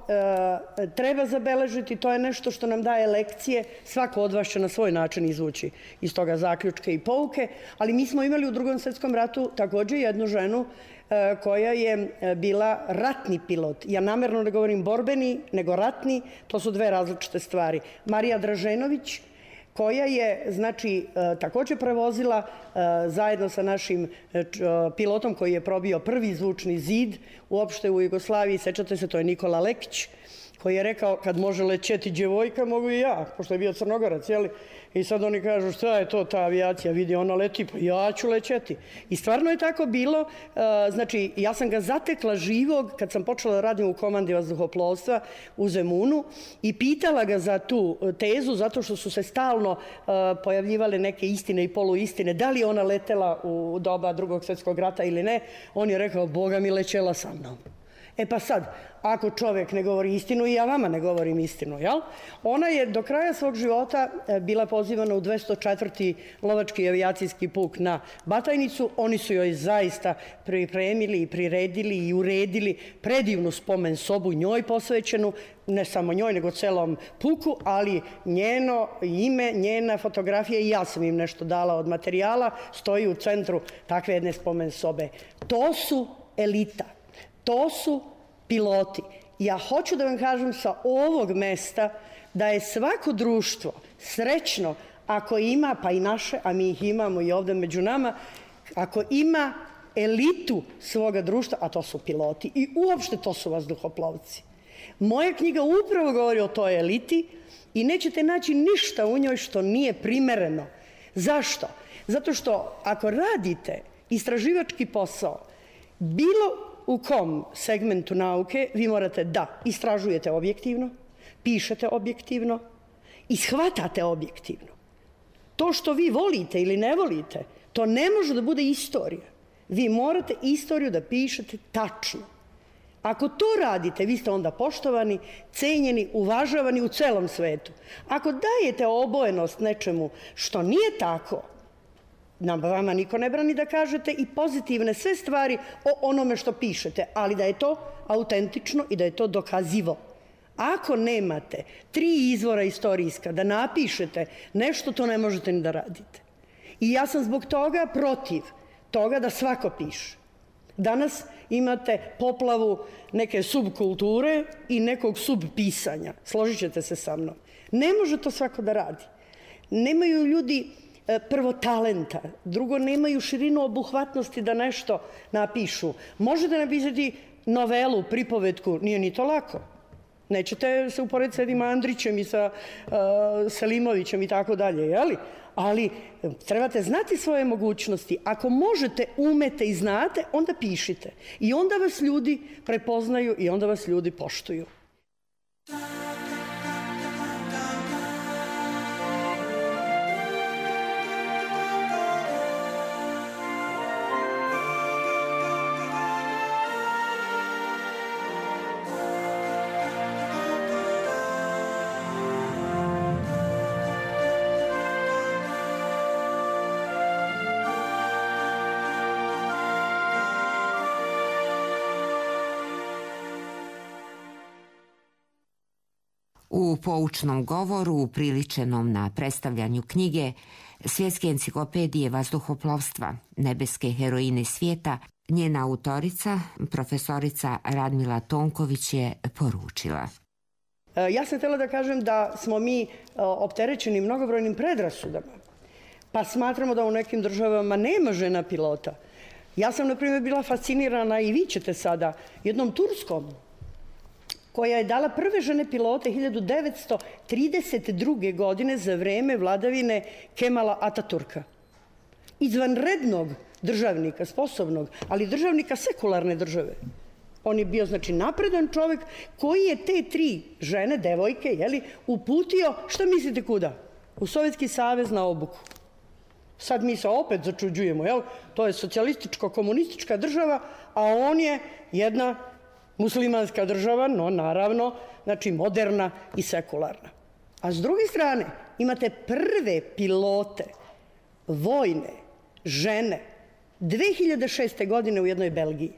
treba zabeležiti, to je nešto što nam daje lekcije. Svako od vas će na svoj način izvući iz toga zaključke i pouke, ali mi smo imali u Drugom svetskom ratu takođe jednu ženu koja je bila ratni pilot. Ja namerno ne govorim borbeni, nego ratni, to su dve različite stvari. Marija Draženović, koja je, znači, takođe prevozila zajedno sa našim pilotom koji je probio prvi zvučni zid uopšte u Jugoslaviji. Sećate se, to je Nikola Lekić, koji je rekao kad može lećeti djevojka, mogu i ja, pošto je bio Crnogorac, jeli? I sad oni kažu šta je to ta avijacija, vidi ona leti, pa ja ću lećeti. I stvarno je tako bilo, znači ja sam ga zatekla živog kad sam počela da radim u komandi vazduhoplovstva u Zemunu i pitala ga za tu tezu, zato što su se stalno pojavljivale neke istine i poluistine, da li je ona letela u doba Drugog svjetskog rata ili ne. On je rekao, Boga mi, lećela sa mnom. E pa sad, ako čovjek ne govori istinu, i ja vama ne govorim istinu, jel? Ona je do kraja svog života bila pozivana u 204. lovački avijacijski puk na Batajnicu. Oni su joj zaista pripremili i priredili i uredili predivnu spomen sobu njoj posvećenu, ne samo njoj, nego celom puku, ali njeno ime, njena fotografija, i ja sam im nešto dala od materijala, stoji u centru takve jedne spomen sobe. To su elita. To su piloti. Ja hoću da vam kažem sa ovog mesta da je svako društvo srećno ako ima, pa i naše, a mi ih imamo i ovde među nama, ako ima elitu svoga društva, a to su piloti i uopšte to su vazduhoplovci. Moja knjiga upravo govori o toj eliti i nećete naći ništa u njoj što nije primereno. Zašto? Zato što ako radite istraživački posao, bilo u kom segmentu nauke vi morate da istražujete objektivno, pišete objektivno i shvatate objektivno. To što vi volite ili ne volite, to ne može da bude istorija. Vi morate istoriju da pišete tačno. Ako to radite, vi ste onda poštovani, cenjeni, uvažavani u celom svetu. Ako dajete obojenost nečemu što nije tako, vama niko ne brani da kažete i pozitivne sve stvari o onome što pišete, ali da je to autentično i da je to dokazivo. Ako nemate 3 izvora istorijska da napišete nešto, to ne možete ni da radite. I ja sam zbog toga protiv toga da svako piše. Danas imate poplavu neke subkulture i nekog subpisanja. Složit ćete se sa mnom. Ne može to svako da radi. Nemaju ljudi prvo talenta, drugo nemaju širinu obuhvatnosti da nešto napišu. Možete napisati novelu, pripovetku, nije ni to lako. Nećete se uporediti sa Edim Andrićem i sa Selimovićem i tako dalje, jeli? Ali trebate znati svoje mogućnosti. Ako možete, umete i znate, onda pišite. I onda vas ljudi prepoznaju i onda vas ljudi poštuju. U poučnom govoru upriličenom na predstavljanju knjige Svjetske enciklopedije vazduhoplovstva, nebeske heroine svijeta, njena autorica, profesorica Radmila Tonković je poručila. Ja sam htjela da kažem da smo mi opterećeni mnogobrojnim predrasudama, pa smatramo da u nekim državama nema žena pilota. Ja sam, na primjer, bila fascinirana, i vi ćete sada, jednom Turskom, koja je dala prve žene pilote 1932. godine za vreme vladavine Kemala Ataturka. izvanrednog državnika, sposobnog, ali državnika sekularne države. On je bio, znači, napredan čovek koji je te 3 žene, devojke, uputio, šta mislite kuda? U Sovjetski savez na obuku. Sad mi se opet začuđujemo, to je socijalističko-komunistička država, a on je jedna muslimanska država, no naravno, znači moderna i sekularna. A s druge strane imate prve pilote vojne žene 2006. godine u jednoj Belgiji.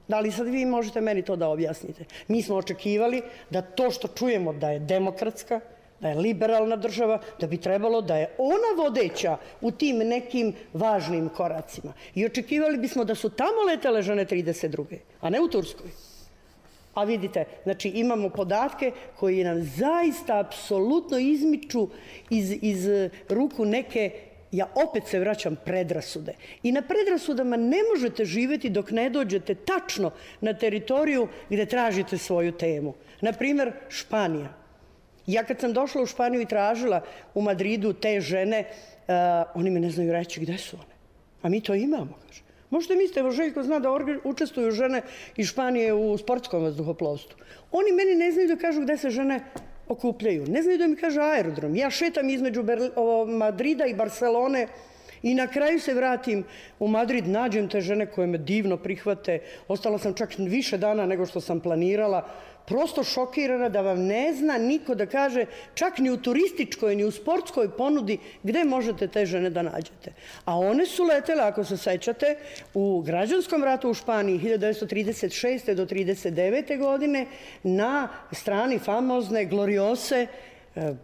Da li sad vi možete meni to da objasnite? Mi smo očekivali da to što čujemo da je demokratska, da je liberalna država, da bi trebalo da je ona vodeća u tim nekim važnim koracima. I očekivali bismo da su tamo letele žene 32. a ne u Turskoj. A vidite, znači imamo podatke koji nam zaista apsolutno izmiču iz ruku neke, ja opet se vraćam, predrasude. I na predrasudama ne možete živeti dok ne dođete tačno na teritoriju gde tražite svoju temu. Naprimer, Španija. Ja kad sam došla u Španiju i tražila u Madridu te žene, oni me ne znaju reći gde su one. A mi to imamo, kaže. Možete mislite, evo Željko zna da učestvuju žene iz Španije u sportskom vazduhoplovstvu. Oni meni ne znaju da kažu gde se žene okupljaju. Ne znaju da mi kaže aerodrom. Ja šetam između Madrida i Barcelone i na kraju se vratim u Madrid, nađem te žene koje me divno prihvate. Ostala sam čak više dana nego što sam planirala. Prosto šokirana da vam ne zna niko da kaže, čak ni u turističkoj, ni u sportskoj ponudi, gde možete te žene da nađete. A one su letele, ako se sećate, u građanskom ratu u Španiji 1936. do 1939. godine na strani famozne Gloriose,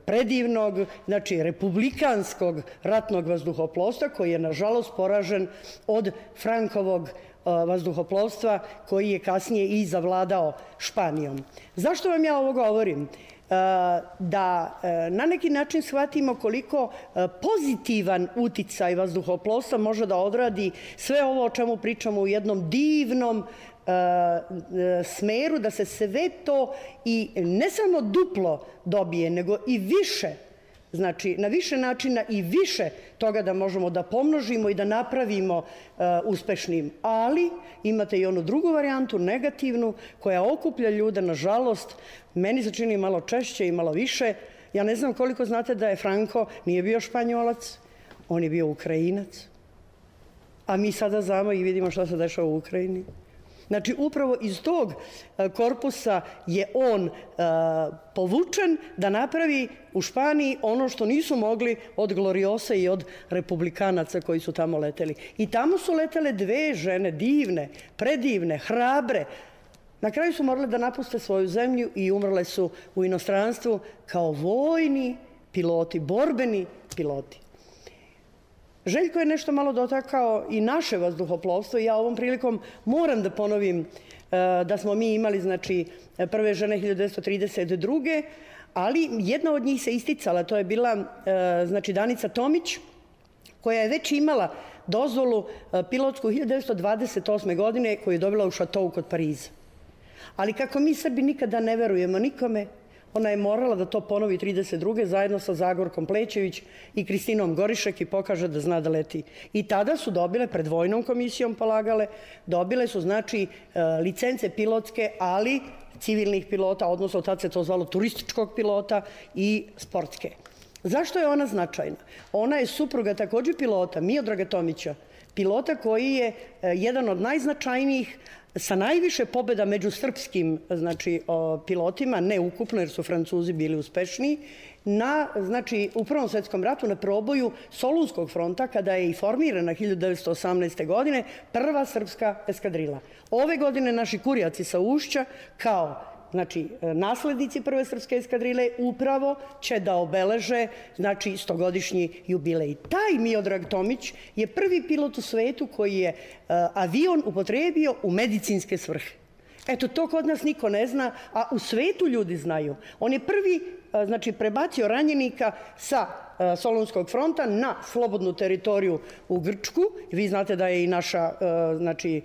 predivnog, znači republikanskog ratnog vazduhoplovstva koji je nažalost poražen od Frankovog vazduhoplovstva koji je kasnije i zavladao Španijom. Zašto vam ja ovo govorim? Da na neki način shvatimo koliko pozitivan uticaj vazduhoplovstva može da odradi sve ovo o čemu pričamo u jednom divnom smeru, da se sve to i ne samo duplo dobije, nego i više, znači na više načina i više toga da možemo da pomnožimo i da napravimo uspešnim. Ali imate i onu drugu varijantu, negativnu, koja okuplja ljude, nažalost, meni se čini malo češće i malo više. Ja ne znam koliko znate da je Franko nije bio Španjolac, on je bio Ukrajinac. A mi sada znamo i vidimo šta se dešava u Ukrajini. Znači, upravo iz tog korpusa je on povučen da napravi u Španiji ono što nisu mogli od Gloriosa i od republikanaca koji su tamo leteli. I tamo su letele 2 žene, divne, predivne, hrabre. Na kraju su morale da napuste svoju zemlju i umrle su u inostranstvu kao vojni piloti, borbeni piloti. Željko je nešto malo dotakao i naše vazduhoplovstvo i ja ovom prilikom moram da ponovim da smo mi imali, znači, prve žene 1932. Ali jedna od njih se isticala, to je bila, znači, Danica Tomić, koja je već imala dozvolu pilotsku 1928. godine koju je dobila u šatovu kod Pariza. Ali kako mi Srbi nikada ne verujemo nikome, ona je morala da to ponovi 32. zajedno sa Zagorkom Plećević i Kristinom Gorišek i pokaže da zna da leti. I tada su dobile, pred vojnom komisijom polagale, dobile su, znači, licence pilotske, ali civilnih pilota, odnosno tad se to zvalo turističkog pilota i sportske. Zašto je ona značajna? Ona je supruga takođe pilota, Miodraga Tomića, pilota koji je jedan od najznačajnijih sa najviše pobjeda među srpskim, znači, pilotima, ne ukupno jer su Francuzi bili uspešniji, znači, u Prvom svetskom ratu na proboju Solunskog fronta, kada je i formirana 1918. godine prva srpska eskadrila. Ove godine naši kurjaci sa Ušća, kao, znači, naslednici prve srpske eskadrile, upravo će da obeleže, znači, 100-godišnji jubilej. Taj Miodrag Tomić je prvi pilot u svetu koji je avion upotrebio u medicinske svrhe. Eto, to kod nas niko ne zna, a u svetu ljudi znaju. On je prvi, znači, prebacio ranjenika sa Solunskog fronta na slobodnu teritoriju u Grčku. Vi znate da je i naša, znači,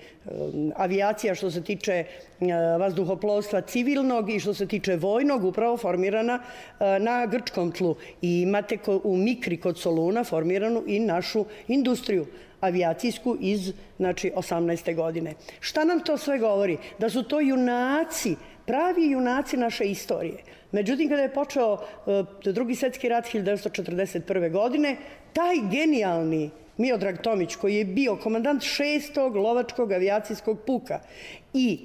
avijacija što se tiče vazduhoplovstva civilnog i što se tiče vojnog upravo formirana na grčkom tlu. I imate u Mikri kod Soluna formiranu i našu industriju avijacijsku iz, znači, 18. godine. Šta nam to sve govori? Da su to junaci, pravi junaci naše istorije. Međutim, kada je počeo Drugi svjetski rat 1941. godine, taj genijalni Miodrag Tomić, koji je bio komandant 6. lovačkog avijacijskog puka i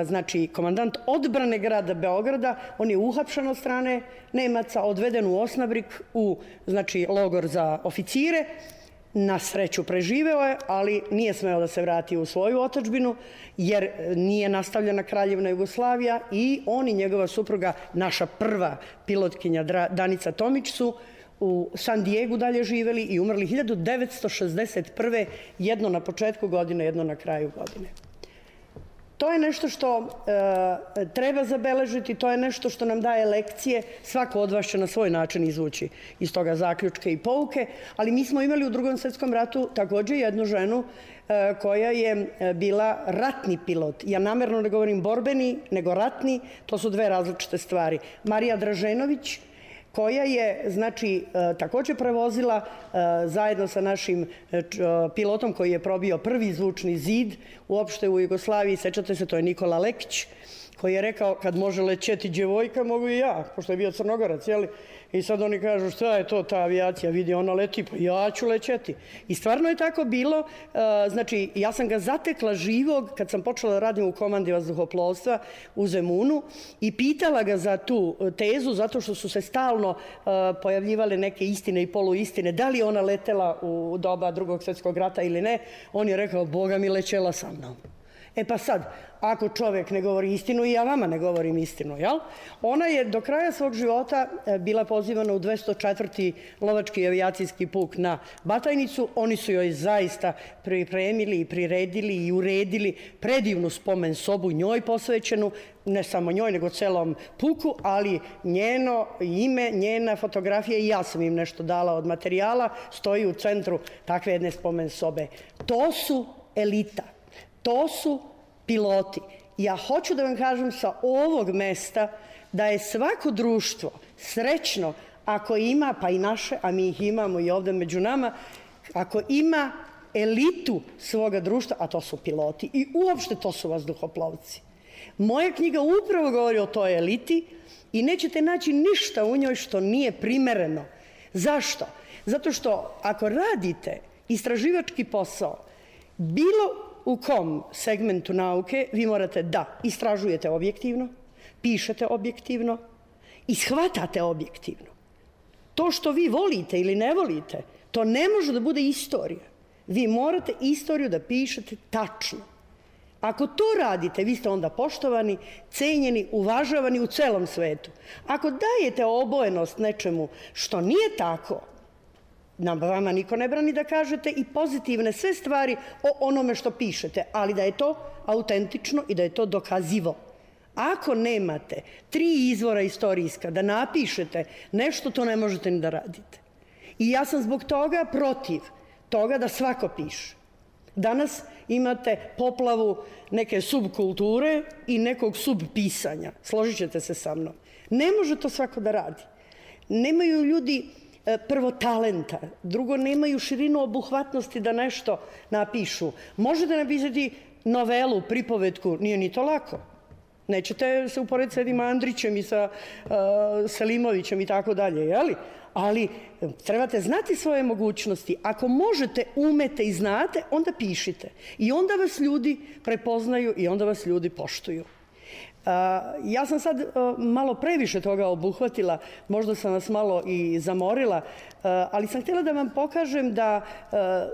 znači komandant odbrane grada Beograda, on je uhapšen od strane Nemaca, odveden u Osnabrik, u, znači, logor za oficire. Na sreću preživeo je, ali nije smeo da se vrati u svoju otadžbinu, jer nije nastavljena Kraljevna Jugoslavija i on i njegova supruga, naša prva pilotkinja Danica Tomić, su u San Diegu dalje živeli i umrli 1961. jedno na početku godine, jedno na kraju godine. To je nešto što treba zabeležiti, to je nešto što nam daje lekcije. Svako od vas će na svoj način izvući iz toga zaključke i pouke, ali mi smo imali u Drugom svjetskom ratu također jednu ženu koja je bila ratni pilot. Ja namjerno ne govorim borbeni, nego ratni, to su dve različite stvari. Marija Draženović, koja je, znači, također prevozila zajedno sa našim pilotom koji je probio prvi zvučni zid uopšte u Jugoslaviji. Sećate se, to je Nikola Lekić, koji je rekao, kad može lećeti djevojka, mogu i ja, pošto je bio Crnogorac, jeli? I sad oni kažu, šta je to ta avijacija, vidi, ona leti, pa ja ću lećeti. I stvarno je tako bilo, znači, ja sam ga zatekla živog kad sam počela da radim u komandi vazduhoplovstva u Zemunu i pitala ga za tu tezu, zato što su se stalno pojavljivale neke istine i poluistine, da li je ona letela u doba Drugog svjetskog rata ili ne. On je rekao, Boga mi, lećela sa mnom. E pa sad, ako čovjek ne govori istinu, i ja vama ne govorim istinu, jel? Ona je do kraja svog života bila pozivana u 204. lovački avijacijski puk na Batajnicu. Oni su joj zaista pripremili i priredili i uredili predivnu spomen sobu njoj posvećenu, ne samo njoj, nego celom puku, ali njeno ime, njena fotografija, i ja sam im nešto dala od materijala, stoji u centru takve jedne spomen sobe. To su elita. To su piloti. Ja hoću da vam kažem sa ovog mesta da je svako društvo srećno ako ima, pa i naše, a mi ih imamo i ovdje među nama, ako ima elitu svoga društva, a to su piloti i uopšte to su vazduhoplovci. Moja knjiga upravo govori o toj eliti i nećete naći ništa u njoj što nije primereno. Zašto? Zato što ako radite istraživački posao, bilo u kom segmentu nauke, vi morate da istražujete objektivno, pišete objektivno i shvatate objektivno. To što vi volite ili ne volite, to ne može da bude istorija. Vi morate istoriju da pišete tačno. Ako to radite, vi ste onda poštovani, cenjeni, uvažavani u celom svetu. Ako dajete obojenost nečemu što nije tako, nam vama niko ne brani da kažete i pozitivne sve stvari o onome što pišete, ali da je to autentično i da je to dokazivo. Ako nemate 3 izvora istorijska da napišete nešto, to ne možete ni da radite. I ja sam zbog toga protiv toga da svako piše. Danas imate poplavu neke subkulture i nekog subpisanja. Složit ćete se sa mnom. Ne može to svako da radi. Nemaju ljudi prvo talenta, drugo nemaju širinu obuhvatnosti da nešto napišu. Možete napisati novelu, pripovetku, nije ni to lako. Nećete se uporediti sa Edim Andrićem i sa Selimovićem i tako dalje, jeli? Ali trebate znati svoje mogućnosti. Ako možete, umete i znate, onda pišite. I onda vas ljudi prepoznaju i onda vas ljudi poštuju. Ja sam sad malo previše toga obuhvatila, možda sam vas malo i zamorila, ali sam htjela da vam pokažem da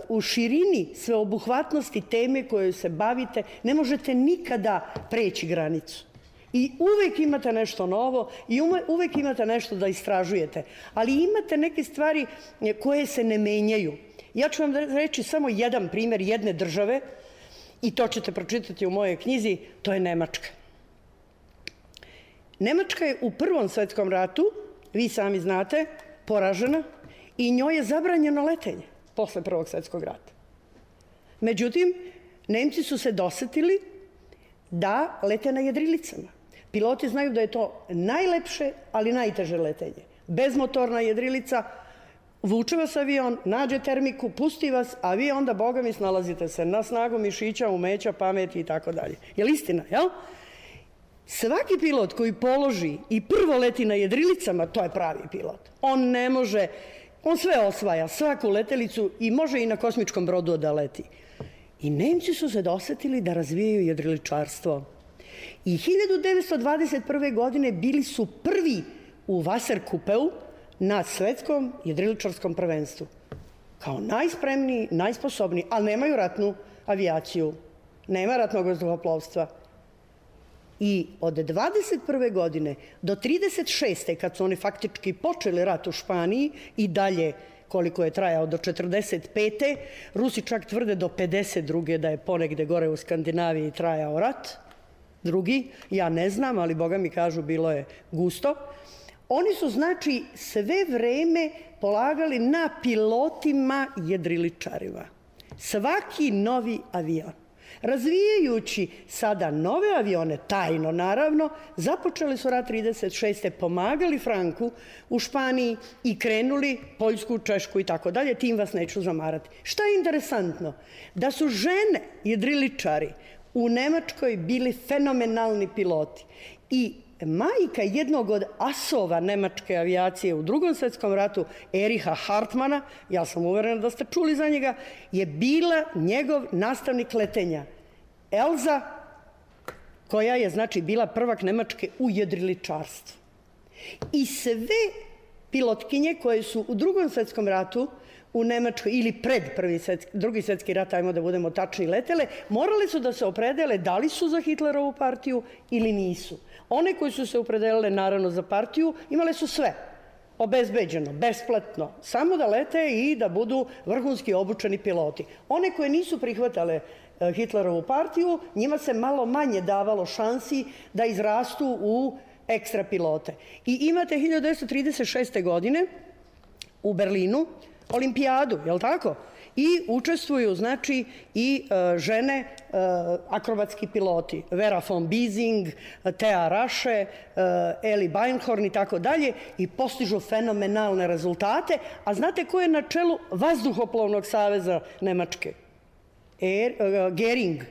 u širini sveobuhvatnosti teme koje se bavite ne možete nikada preći granicu. I uvek imate nešto novo i uvek imate nešto da istražujete, ali imate neke stvari koje se ne menjaju. Ja ću vam reći samo jedan primjer jedne države i to ćete pročitati u mojoj knjizi, to je Nemačka. Nemačka je u Prvom svetskom ratu, vi sami znate, poražena i njoj je zabranjeno letenje posle Prvog svetskog rata. Međutim, Nemci su se dosetili da lete na jedrilicama. Piloti znaju da je to najlepše, ali najteže letenje. Bezmotorna jedrilica, vuče vas avion, nađe termiku, pusti vas, a vi onda, boga mi, snalazite se na snagu mišića, umeća, pameti i tako dalje. Je li istina, jel? Svaki pilot koji položi i prvo leti na jedrilicama, to je pravi pilot. On ne može, on sve osvaja, svaku letelicu i može i na kosmičkom brodu da leti. I Nemci su se dosetili da razvijaju jedriličarstvo. I 1921. godine bili su prvi u Wasserkuppeu na svetskom jedriličarskom prvenstvu. Kao najspremniji, najsposobniji, ali nemaju ratnu avijaciju. Nema ratnog vazduhoplovstva. I od 21. godine do 36. kad su oni faktički počeli rat u Španiji i dalje koliko je trajao do 45. Rusi čak tvrde do 52. da je ponegde gore u Skandinaviji trajao rat. Drugi, ja ne znam, ali boga mi kažu bilo je gusto. Oni su, znači, sve vreme polagali na pilotima jedriličarima. Svaki novi avion. Razvijajući sada nove avione, tajno naravno, započeli su rat 36. pomagali Franku u Španiji i krenuli Poljsku, Češku i tako dalje. Tim vas neću zamarati. Šta je interesantno? Da su žene jedriličari u Nemačkoj bili fenomenalni piloti i majka jednog od asova nemačke avijacije u Drugom svetskom ratu, Ericha Hartmana, ja sam uverena da ste čuli za njega, je bila njegov nastavnik letenja. Elza, koja je, znači, bila prvak Nemačke u jedriličarstvu. I sve pilotkinje koje su u Drugom svetskom ratu u Nemačkoj ili pred Drugi svetski rat, ajmo da budemo tačni, letele, morali su da se opredele da li su za Hitlerovu partiju ili nisu. One koji su se opredelile naravno za partiju imale su sve obezbeđeno, besplatno, samo da lete i da budu vrhunski obučeni piloti. One koje nisu prihvatale Hitlerovu partiju, njima se malo manje davalo šansi da izrastu u ekstra pilote. I imate 1936. godine u Berlinu olimpijadu, je li tako? I učestvuju, znači, i žene akrobatski piloti. Vera von Biesing, Thea Rasche, Eli Beinhorn i tako dalje i postižu fenomenalne rezultate. A znate ko je na čelu Vazduhoplovnog saveza Nemačke? Gering.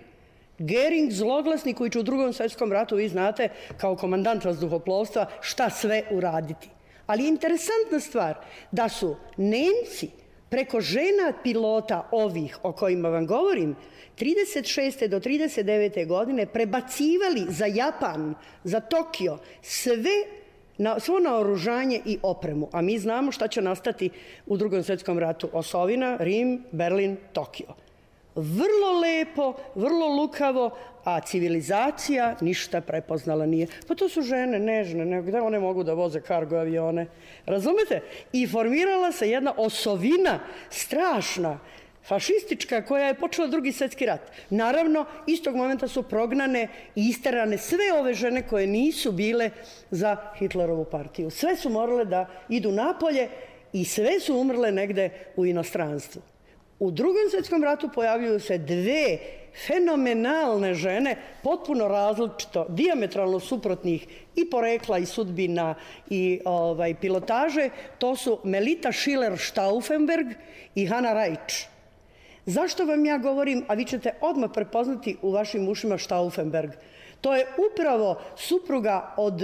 Gering, zloglasni, koji će u Drugom svetskom ratu, vi znate, kao komandant vazduhoplovstva, šta sve uraditi. Ali je interesantna stvar da su Nemci preko žena pilota ovih o kojima vam govorim 36. do 39. godine prebacivali za Japan, za Tokio, svo naoružanje i opremu. A mi znamo šta će nastati u Drugom svetskom ratu. Osovina, Rim, Berlin, Tokio. Vrlo lepo, vrlo lukavo, a civilizacija ništa prepoznala nije. Pa to su žene, nežne, gde one mogu da voze kargo avione? Razumete? I formirala se jedna osovina strašna, fašistička, koja je počela Drugi svjetski rat. Naravno, istog momenta su prognane i isterane sve ove žene koje nisu bile za Hitlerovu partiju. Sve su morale da idu napolje i sve su umrle negde u inostranstvu. U Drugom svjetskom ratu pojavljuju se dve fenomenalne žene, potpuno različito, dijametralno suprotnih i porekla i sudbina i pilotaže. To su Melita Schiller-Stauffenberg i Hanna Reitsch. Zašto vam ja govorim, a vi ćete odmah prepoznati u vašim ušima Stauffenberg? To je upravo supruga od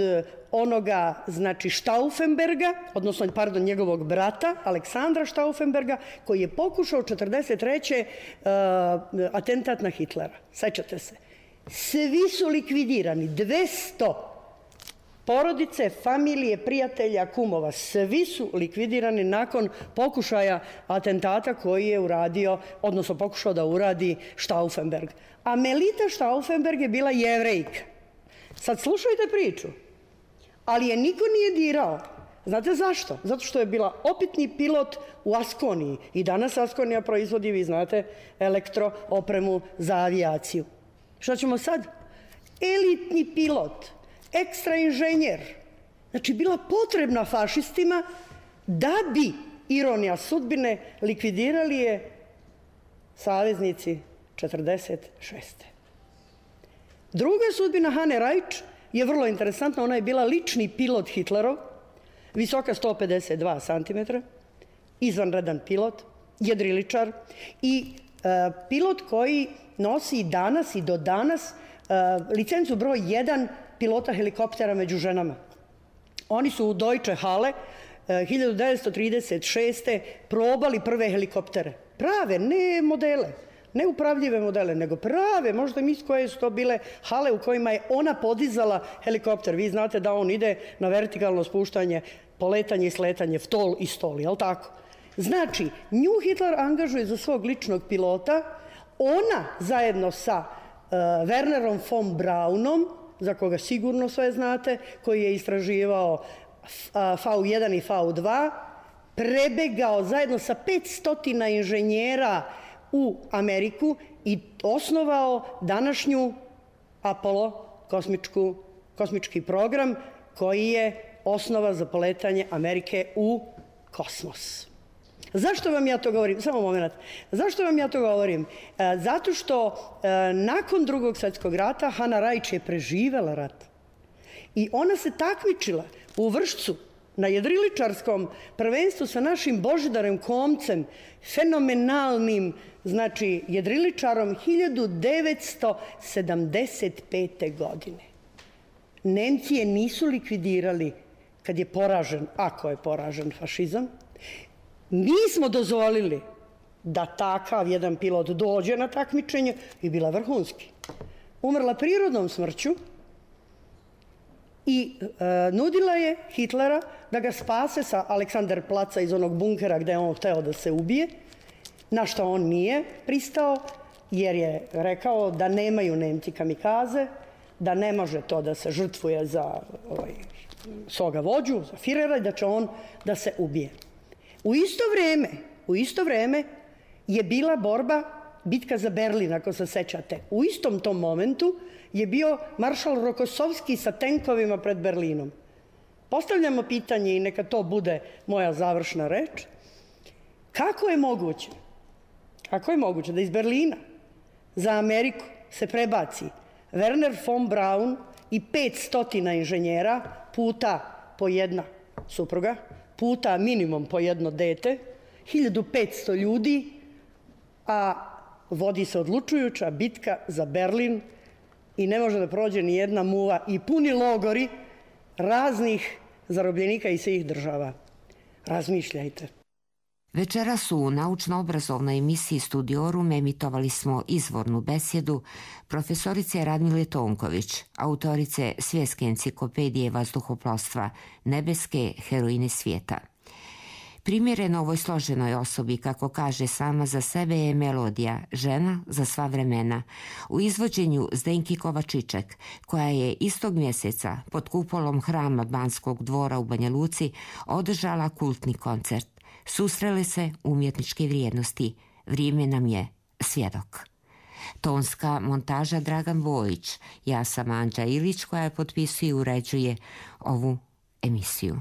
onoga, znači, Stauffenberga, odnosno, pardon, njegovog brata, Aleksandra Stauffenberga, koji je pokušao 1943. Atentat na Hitlera. Sećate se. Svi su likvidirani, 200 porodice, familije, prijatelja, kumova, svi su likvidirani nakon pokušaja atentata koji je uradio, odnosno pokušao da uradi Stauffenberg. A Melita Stauffenberg je bila Jevrejka. Sad slušajte priču. Ali je niko nije dirao. Znate zašto? Zato što je bila opitni pilot u Askoniji. I danas Askonija proizvodi, vi znate, elektroopremu za avijaciju. Šta ćemo sad? Elitni pilot, ekstra inženjer. Znači, bila potrebna fašistima da bi, ironija sudbine, likvidirali je saveznici 46. Druga sudbina Hane Rajč je vrlo interesantna. Ona je bila lični pilot Hitlerov, visoka 152 cm, izvanredan pilot, jedriličar i pilot koji nosi danas i do danas licencu broj 1 pilota helikoptera među ženama. Oni su u Deutsche Halle 1936. probali prve helikoptere. Prave, ne modele, ne upravljive modele, nego prave, možda misli koje su to bile hale u kojima je ona podizala helikopter. Vi znate da on ide na vertikalno spuštanje, poletanje i sletanje, vtol i stol, jel tako? Znači, nju Hitler angažuje za svog ličnog pilota, ona zajedno sa Wernerom von Braunom, za koga sigurno sve znate, koji je istraživao V1 i V2, prebegao zajedno sa 500 inženjera u Ameriku i osnovao današnju Apollo kosmički program koji je osnova za poletanje Amerike u kosmos. Zašto vam ja to govorim? Samo moment. Zašto vam ja to govorim? Zato što nakon Drugog svjetskog rata Hana Rajč je preživela rat. I ona se takmičila u Vršcu na jedriličarskom prvenstvu sa našim Božidarem Komcem, fenomenalnim, znači, jedriličarom 1975. godine. Nemci je nisu likvidirali kad je poražen, ako je poražen fašizam. Mi smo dozvolili da takav jedan pilot dođe na takmičenje i bila vrhunski. Umrla prirodnom smrću i nudila je Hitlera da ga spase sa Aleksanderplaca iz onog bunkera gde je on hteo da se ubije, na što on nije pristao, jer je rekao da nemaju Nemci kamikaze, da ne može to da se žrtvuje za svoga vođu, za Firera, i da će on da se ubije. U isto vreme je bila bitka za Berlin, ako se sećate. U istom tom momentu je bio maršal Rokosovski sa tenkovima pred Berlinom. Postavljamo pitanje i neka to bude moja završna reč. Kako je moguće da iz Berlina za Ameriku se prebaci Werner von Braun i 500 inženjera puta po jedna supruga, puta minimum po jedno dete, 1500 ljudi, a vodi se odlučujuća bitka za Berlin i ne može da prođe ni jedna muva i puni logori raznih zarobljenika iz svih država. Razmišljajte. Večeras u naučno-obrazovnoj emisiji Studiorum emitovali smo izvornu besjedu profesorice Radmile Tonković, autorice Svjetske enciklopedije vazduhoplovstva, nebeske heroine svijeta. Primjereno ovoj složenoj osobi, kako kaže sama za sebe, je melodija Žena za sva vremena u izvođenju Zdenki Kovačiček, koja je istog mjeseca pod kupolom hrama Banskog dvora u Banja Luci održala kultni koncert. Susrele se umjetničke vrijednosti. Vrijeme nam je svjedok. Tonska montaža Dragan Bojić. Ja sam Anđa Ilić, koja potpisuje i uređuje ovu emisiju.